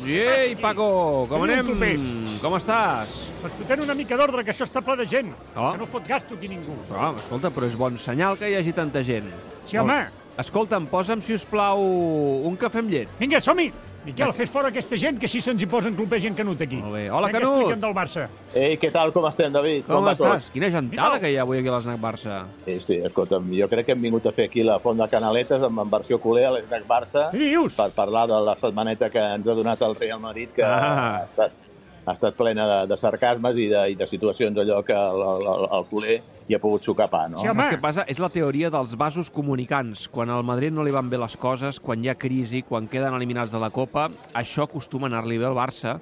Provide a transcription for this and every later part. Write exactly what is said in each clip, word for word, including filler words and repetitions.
Ei, Paco, com anem? Com estàs? Doncs fotent una mica d'ordre, que això està ple de gent. Oh. Que no fot gasto aquí ningú. Però, escolta, però és bon senyal que hi hagi tanta gent. Sí, home. Escolta'm, posa'm, si us plau, un cafè amb llet. Vinga, som-hi. Miquel, fes fora aquesta gent, que així se'ns hi posen clupers i en Canut aquí. Molt bé. Hola, Vinga, Canut. explica'm del Barça. Ei, què tal, com estem, David? Com, com estàs? Tot? Quina gentada que hi ha avui aquí a l'Snac Barça. Sí, sí, escolta'm, jo crec que hem vingut a fer aquí la Font de Canaletes amb en versió culer a l'Snac Barça. Què dius? Per parlar de la setmaneta que ens ha donat el Real Madrid, que Ah. ha, estat, ha estat plena de, de sarcasmes i de, i de situacions allò que el, el, el culer hi ha pogut sucar pa, no? Sí, home. Saps què passa? És la teoria dels vasos comunicants. Quan al Madrid no li van bé les coses, quan hi ha crisi, quan queden eliminats de la Copa, això acostuma a anar-li bé al Barça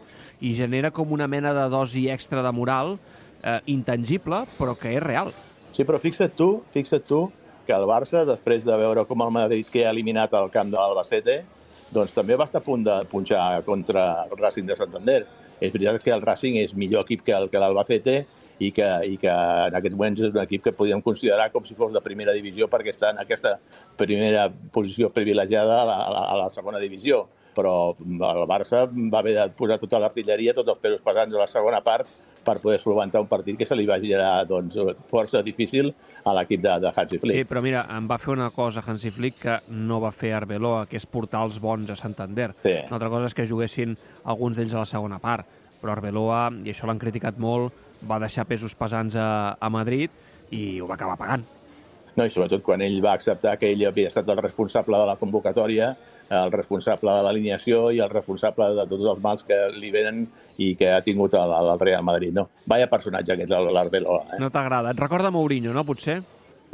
i genera com una mena de dosi extra de moral eh, intangible, però que és real. Sí, però fixa't tu, fixa't tu que el Barça, després de veure com el Madrid que ha eliminat el camp de l'Albacete, doncs també va estar a punt de punxar contra el Racing de Santander. És veritat que el Racing és millor equip que el que l'Albacete i que, i que en aquests moments és un equip que podríem considerar com si fos de primera divisió perquè està en aquesta primera posició privilegiada a la, a la, a la segona divisió. Però el Barça va haver de posar tota l'artilleria, tots els pesos pesants a la segona part per poder solventar un partit que se li va generar doncs, força difícil a l'equip de, de Hansi Flick. Sí, però mira, em va fer una cosa Hansi Flick que no va fer Arbeloa, que és portar els bons a Santander. Sí. Una altra cosa és que juguessin alguns d'ells a la segona part, però Arbeloa, i això l'han criticat molt, va deixar pesos pesants a, a Madrid i ho va acabar pagant. No, i sobretot quan ell va acceptar que ell havia estat el responsable de la convocatòria, el responsable de l'alineació i el responsable de tots els mals que li venen i que ha tingut el, el Real Madrid. No, vaya personatge aquest, l'Arbeloa. Eh? No t'agrada? Et recorda Mourinho, no, potser?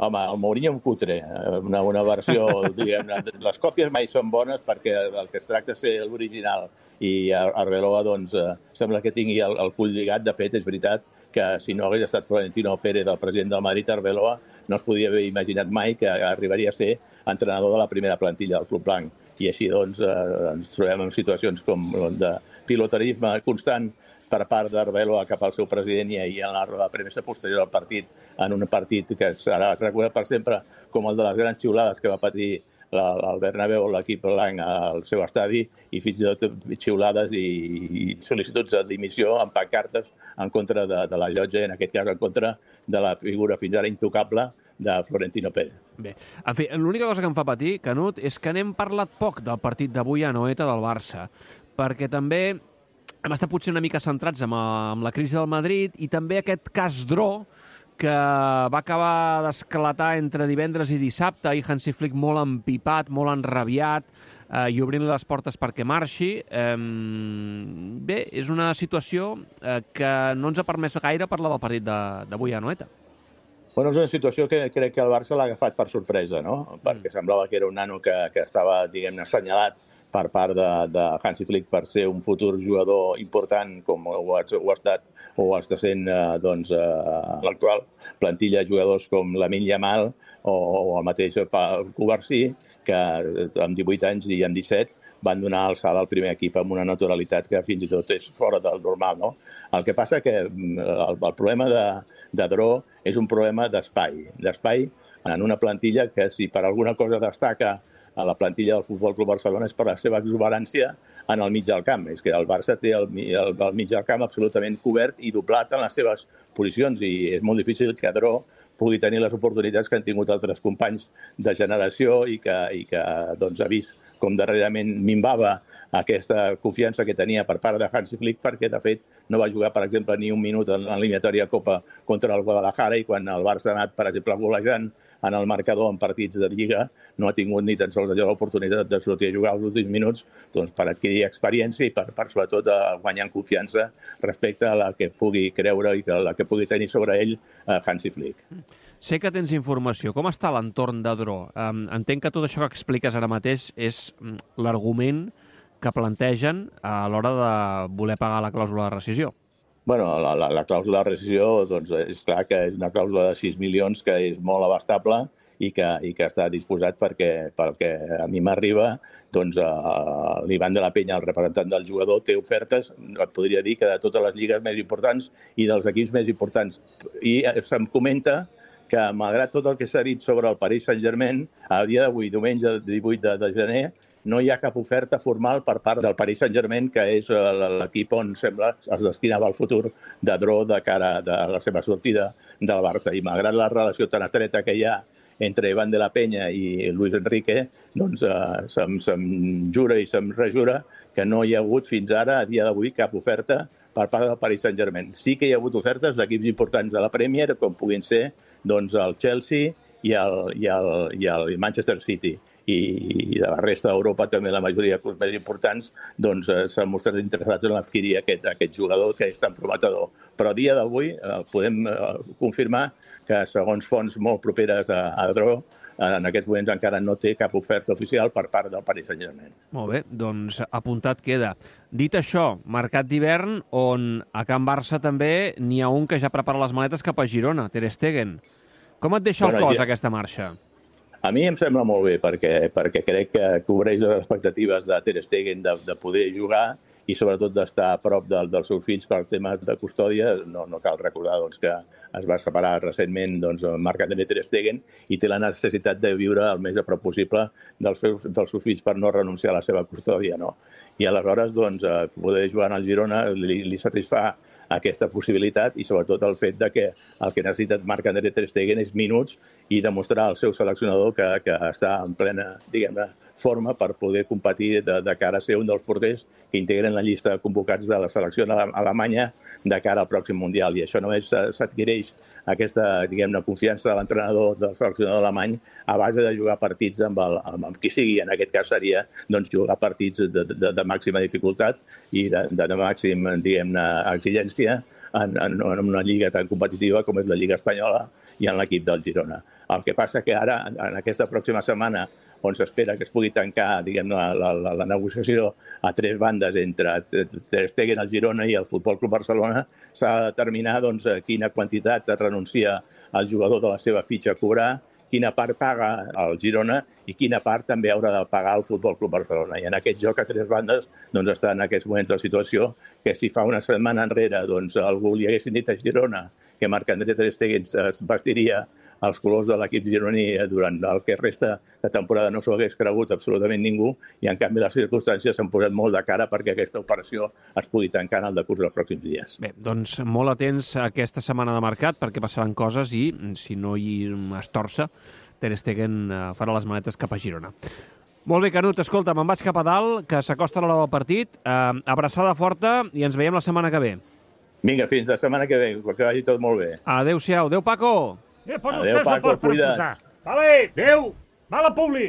Home, el Mourinho un cutre, una, una versió, diguem, les còpies mai són bones perquè el que es tracta és ser l'original i Arbeloa, doncs, sembla que tingui el, el cul lligat. De fet, és veritat que si no hagués estat Florentino Pérez, el president del Madrid, Arbeloa no es podia haver imaginat mai que arribaria a ser entrenador de la primera plantilla del Club Blanc. I així, doncs, eh, ens trobem en situacions com de pilotarisme constant per part d'Arbeloa cap al seu president i ahir en la roda de premsa posterior al partit, en un partit que serà recordat per sempre com el de les grans xiulades que va patir el Bernabéu, l'equip blanc al seu estadi, i fins i tot xiulades i, i sol·licituds de dimissió amb pancartes en contra de, de la llotja, en aquest cas en contra de la figura fins ara intocable de Florentino Pérez. Bé, en fi, l'única cosa que em fa patir, Canut, és que n'hem parlat poc del partit d'avui a Anoeta del Barça, perquè també hem estat potser una mica centrats amb, amb la crisi del Madrid i també aquest cas Dro, que va acabar d'esclatar entre divendres i dissabte, i Hansi Flick molt empipat, molt enrabiat, eh, i obrint les portes perquè marxi. Eh, bé, és una situació eh, que no ens ha permès gaire parlar del partit d'avui a Anoeta. Bueno, és una situació que crec que el Barça l'ha agafat per sorpresa, no? Perquè semblava que era un nano que, que estava, diguem-ne, assenyalat per part de, de Hansi Flick per ser un futur jugador important com ho ha, ho ha estat o ho està sent eh, doncs, eh, l'actual plantilla de jugadors com Lamine Yamal o, o el mateix Cubarsí, que amb divuit anys i amb disset van donar el salt al primer equip amb una naturalitat que fins i tot és fora del normal, no? El que passa que el, el problema de, de Dro és un problema d'espai, d'espai en una plantilla que si per alguna cosa destaca a la plantilla del Futbol Club Barcelona és per la seva exuberància en el mig del camp. És que el Barça té el, el, el mig del camp absolutament cobert i doblat en les seves posicions i és molt difícil que Dro pugui tenir les oportunitats que han tingut altres companys de generació i que, i que doncs, ha vist com darrerament minvava aquesta confiança que tenia per part de Hansi Flick, perquè, de fet, no va jugar, per exemple, ni un minut en l'eliminatòria Copa contra el Guadalajara i quan el Barça ha anat, per exemple, golejant en el marcador en partits de Lliga, no ha tingut ni tan sols allò l'oportunitat de sortir a jugar els últims minuts doncs, per adquirir experiència i per, per sobretot guanyar confiança respecte a la que pugui creure i a la que pugui tenir sobre ell eh, Hansi Flick. Sé que tens informació. Com està l'entorn de Dro? Um, entenc que tot això que expliques ara mateix és l'argument que plantegen a l'hora de voler pagar la clàusula de rescisió. Bueno, la, la, la clàusula de rescisió doncs, és clar que és una clàusula de sis milions que és molt abastable i que, i que està disposat perquè, perquè a mi m'arriba, doncs uh, l'Ivan de la Penya, el representant del jugador, té ofertes, et podria dir que de totes les lligues més importants i dels equips més importants. I se'm comenta que, malgrat tot el que s'ha dit sobre el Paris Saint-Germain, a dia d'avui, diumenge divuit de gener, no hi ha cap oferta formal per part del Paris Saint-Germain, que és l'equip on sembla es destinava el futur de Dró de cara a la seva sortida del Barça. I malgrat la relació tan estreta que hi ha entre Iván de la Peña i Luis Enrique, doncs eh, se'm, se'm jura i se'm rejura que no hi ha hagut fins ara, a dia d'avui, cap oferta per part del Paris Saint-Germain. Sí que hi ha hagut ofertes d'equips importants de la Premier, com puguin ser doncs, el Chelsea i el, i, el, i el Manchester City. I, i de la resta d'Europa, també la majoria de clubs més importants, doncs, eh, s'han mostrat interessats en adquirir aquest, aquest jugador que és tan prometedor. Però a dia d'avui eh, podem eh, confirmar que, segons fonts molt properes a, a Dró, en aquests moments encara no té cap oferta oficial per part del Paris Saint-Germain. Molt bé, doncs apuntat queda. Dit això, mercat d'hivern, on a Can Barça també n'hi ha un que ja prepara les maletes cap a Girona, Ter Stegen. Com et deixa el Bueno, cos, ja- aquesta marxa? A mi em sembla molt bé, perquè, perquè crec que cobreix les expectatives de Ter Stegen de, de poder jugar i sobretot d'estar a prop del, dels seus fills per temes de custòdia. No, no cal recordar doncs, que es va separar recentment doncs, Marc-André Ter Stegen i té la necessitat de viure el més a prop possible dels seus, dels seus fills per no renunciar a la seva custòdia. No? I aleshores doncs, eh, poder jugar en el Girona li, li satisfà aquesta possibilitat i sobretot el fet de que el que necessita Marc-André Ter Stegen és minuts i demostrar al seu seleccionador que, que està en plena, diguem-ne, forma per poder competir de, de cara a ser un dels porters que integren la llista de convocats de la selecció alemanya de cara al pròxim Mundial. I això només s'adquireix aquesta, diguem-ne, confiança de l'entrenador del seleccionador alemany a base de jugar partits amb, el, amb, amb qui sigui. En aquest cas seria doncs, jugar partits de, de, de màxima dificultat i de, de, de màxim, diguem-ne, exigència en, en, en una lliga tan competitiva com és la Lliga Espanyola i en l'equip del Girona. El que passa que ara, en aquesta pròxima setmana, on s'espera que es pugui tancar, diguem, la, la, la, la negociació a tres bandes entre Ter Stegen, el Girona i el Futbol Club Barcelona, s'ha de determinar doncs, quina quantitat renuncia el jugador de la seva fitxa a cobrar, quina part paga el Girona i quina part també haurà de pagar el Futbol Club Barcelona. I en aquest joc a tres bandes doncs, està en aquests moments la situació que si fa una setmana enrere doncs, algú li haguessin dit a Girona que Marc-André Ter Stegen es vestiria els colors de l'equip gironí durant el que resta de temporada no s'ho hagués cregut absolutament ningú i en canvi les circumstàncies s'han posat molt de cara perquè aquesta operació es pugui tancar en el decurs dels pròxims dies. Bé, doncs molt atents a aquesta setmana de mercat perquè passaran coses i, si no hi es torça, Ter Stegen farà les maletes cap a Girona. Molt bé, Canut, escolta, me'n vaig cap a dalt, que s'acosta l'hora del partit. Eh, abraçada forta i ens veiem la setmana que ve. Vinga, fins la setmana que ve, que vagi tot molt bé. Adéu-siau. Adéu, Paco! Eh, posa Adéu, els peus al Paco, port per cuida't. apuntar. Vale, adéu. Mala publi.